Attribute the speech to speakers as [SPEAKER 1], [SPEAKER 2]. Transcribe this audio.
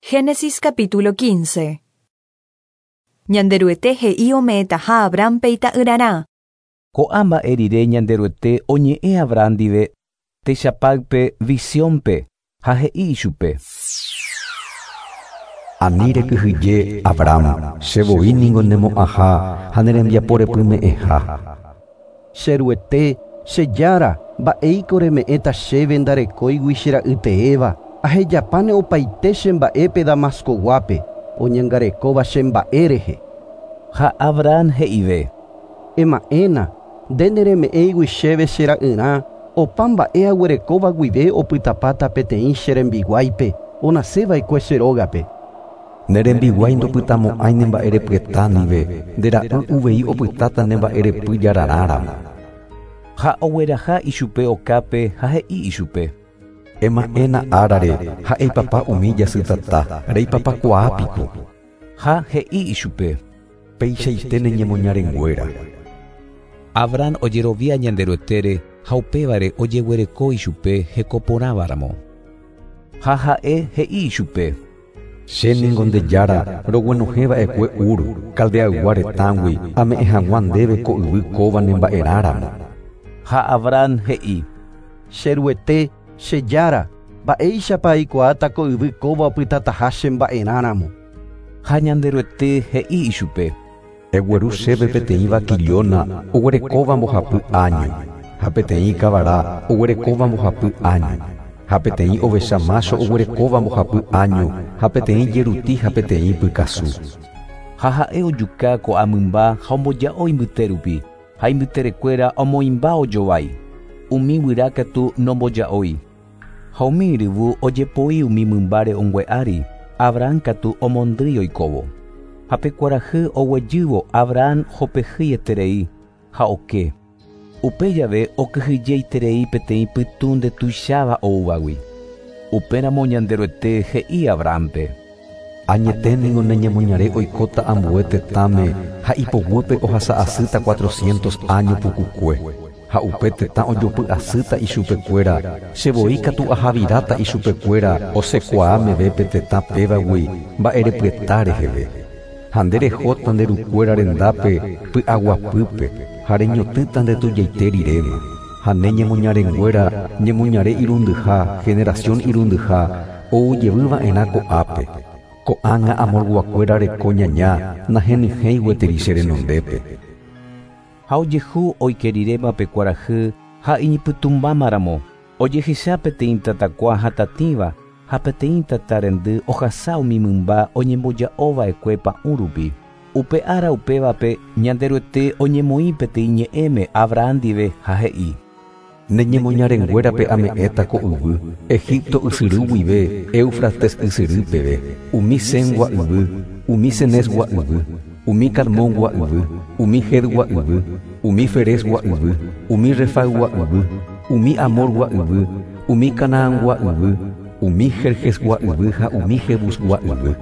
[SPEAKER 1] Génesis capítulo 15. Ñanderuete he'i ome'ẽtaha Abrahampe ita'yrarã.
[SPEAKER 2] Ko'ã mba'e rire Ñanderuete oñe'ẽ Abraham ndive techapáype visiónpe ha he'i ichupe.
[SPEAKER 3] Ani rekyhyje, Abraham, che voi ningo nemo'ãha ha ne rembiapo repyme'ẽha.
[SPEAKER 4] Che Ruete, che Jára, mba'éiko reme'ẽta chéve ndarekóigui che ra'y teéva, ahejapáne opaite che mba'épe Damascoguápe, oñangarekóva che mba'e rehe.
[SPEAKER 2] Ha Abraham he'ive.
[SPEAKER 4] Ema'ẽna, nde nereme'ẽigui chéve che ra'yrã, opa mba'e aguerekóva guive opytapáta peteĩ che rembiguáipe, onaseva'ekue che rógape.
[SPEAKER 3] Ne rembiguái ndopytamo'ãi ne mba'erepyeta ndive, nde ra'y uvei opytáta ne mba'erepy jararãramo.
[SPEAKER 2] Ha ogueraha ichupe okápe ha he'i ichupe.
[SPEAKER 3] Ema'ẽna árare ha eipapa umi jasytata, reipapakuaápiko.
[SPEAKER 2] Ha he'i ichupe.
[SPEAKER 3] Peichaite ne ñemoñarenguéra.
[SPEAKER 2] Abraham ojerovia Ñanderuetére ha upévare ojeguereko ichupe hekoporãvaramo. Ha ha'e he'i ichupe.
[SPEAKER 3] Che ningo nde Jára roguenohẽva'ekue Ur, Caldeaygua retãgui, ame'ẽ hag̃ua ndéve ko yvy kóva ne mba'erãramo.
[SPEAKER 2] Ha Abraham he'i.
[SPEAKER 4] Che Ruete, che Jára, mba'éichapa aikuaáta ko yvy kóva opytataha che mba'erãramo.
[SPEAKER 2] Ha Ñanderuete he'i ichupe.
[SPEAKER 3] Egueru chéve peteĩ vaquillona oguerekóva mbohapy año, ha peteĩ kavara oguerekóva mbohapy año, ha peteĩ ovecha macho oguerekóva mbohapy año, ha peteĩ jeruti ha peteĩ pykasu.
[SPEAKER 2] Ha ha'e ojuka ko'ã mymba ha omboja'o imbyte rupi, ha imbyterekuéra omoĩmba ojovái. Umi guyra katu nomboja'ói. Ha umi yryvu ojepoi umi mymba re'õngue ári, Abraham katu omondýi oikóvo. Ha pe kuarahy oguejývo Abraham hopehýieterei ha oke. Upe jave okyhyjeiterei peteĩ pytũ ndetuicháva oúvagui. Upéramo Ñanderuete he'i Abrahampe.
[SPEAKER 3] Añete ningo ne ñemoñare oikóta ambue tetãme ha ipoguýpe ohasa'asýta 400 año pukukue. Ha upe tetã ojopy'asýta ichupekuéra, che voi katu ahaviráta ichupekuéra osekuaa meve pe tetã pévagui mba'erepyeta reheve. Ha nde rehóta nde rukuéra rendápe py'aguapýpe ha reñotỹta nde tujaite riréma. Ha ne ñemoñarenguéra ñemoñare irundyha, generación irundyha, oujevýva'erã ko'ápe. Ko'ág̃a amorguakuéra reko ñaña nahenyhẽi gueteri che renondépe.
[SPEAKER 2] Ha ojehu oikeriréma pe kuarahy ha iñipytũmbámaramo, ojehecha peteĩ tatakua hatatĩva ha peteĩ tata rendy ohasa umi mymba oñemboja'ova'ekue pa'ũ rupi. Upe ára upévape Ñanderuete oñemoĩ peteĩ ñe'ẽme Abraham ndive ha he'i.
[SPEAKER 3] Ne ñemoñarenguérape ame'ẽta ko yvy, Egipto ysyry guive, Éufrates ysyry peve, umi Sengua yvy, umi Cenesgua yvy, umi Cadmongua yvy, umi Hedgua yvy, umi Ferezgua yvy, umi Refaygua yvy, umi Amorgua yvy, umi Canaangua yvy, umi Jerjesgua yvy ha umi Jebusgua yvy.